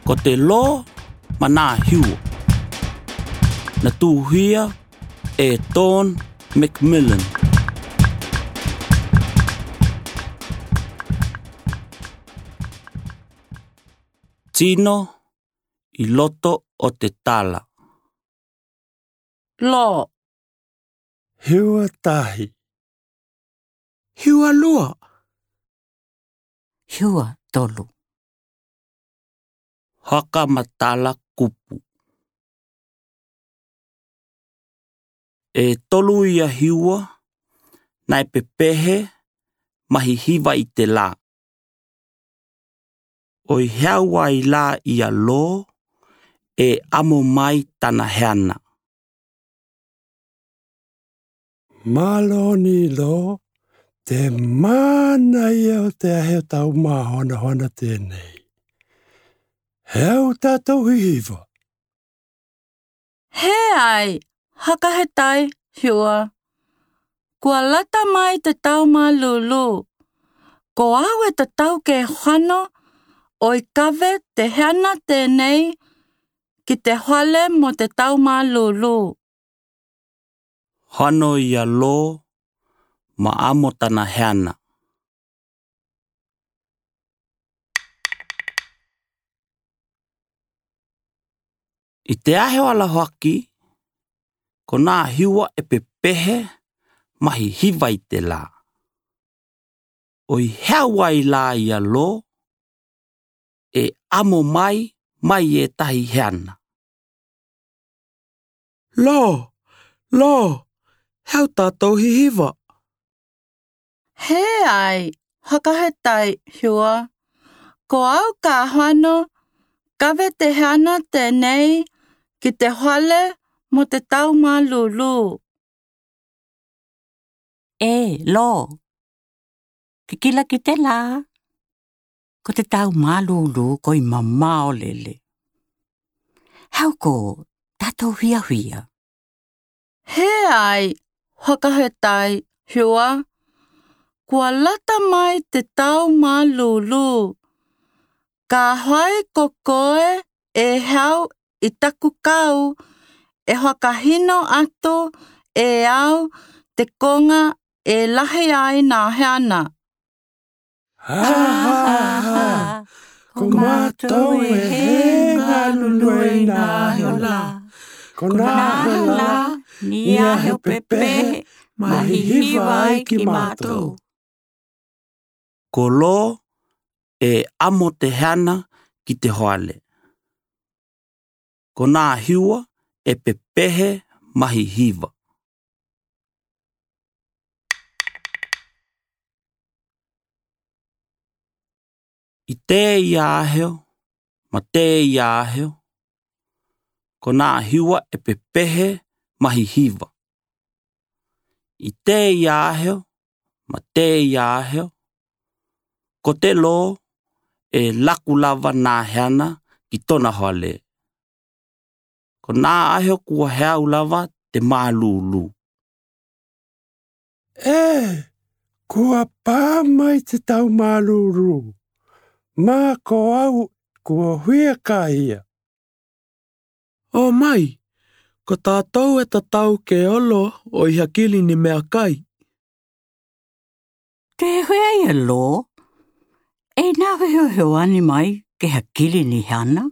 Ko te Lo ma nā Hiwa. Na tuhia e Dawn McMillan. Tino i loto o te tala. Lo. Hiwa tahi. Hiwa lua. Hiwa tolu. Whakamatala kupu. E tolu ia hiwa, nai pepehe, mahi hiwa i te la. Oi heau ai la ia lo, e amo mai tana heana. Malo ni lo, te mana ia o te ahe o tau māhonahoana tēnei. He au tātou hihiwa. He ai, whakahetai, Hua. Kua lata mai te tau malulu. Ko au e tatau ke whano, oi kawe te heana tēnei ki te whale mo te tau malulu. Hono ia lo, ma amo tana heana. I te ahe o ala hoaki, ko nā hiwa e pepehe mahi hiwa i te la. Oi hea ai la ia lo, e amo mai mai e tahi heana. Lo, lo, heo tātou hihiwa. He ai, whakahetai, Hua. Ko au ka hoano, kawe te heana tēnei ki te whale mo te tau malulu. E, lo. Kikila ki te la. Ko te tau malulu ko i mamao lele. Hau ko tātou huia huia. He ai, whakahetai, Hua. Kua lata mai te tau malulu. Ka whai ko koe e hau i taku kau, e whakahino atu e au te konga e lahi ai nā heana. Ha ha ha, ko mātou e he ngā lulue i nā heo la. Ko nā heo la, ni a heo pepehe, mahi hiwa ai ki mātou. Ko lo e amo te heana ki te hoale. Ko nā hiwa e pepehe mahi hiwa. I te ia aheo, ma te ia aheo, ko nā hiwa e pepehe mahi hiwa. I te ia aheo, ma te ia aheo, ko te lo e laku lava nā heana ki tona hoale. Ko nā aheo kua heau lava te mālūlū. E, kua pā mai te tau mālūlū. Mā ko au kua huia ka ia. O mai, ko tātou e tatau ke olo o i hakili ni mea kai. Te huia ia lo, e nā heo heo ani mai ke hakili ni hana.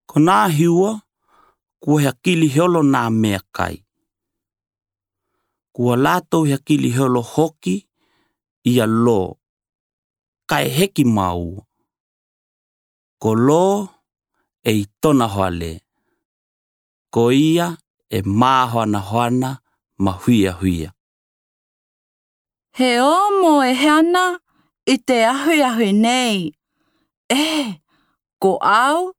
Ko nā hiwa, kua hakili heolo nā mea kai. Kua lātou hakili heolo hoki ia lo, kai heki mau. Ko lo e i tona hoale. Ko ia e māhoana hoana ma huia huia. He o mo e heana i te ahuahu nei. E, ko au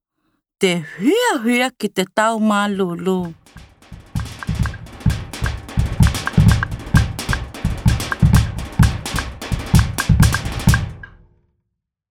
te huia huia ki te tau malulu.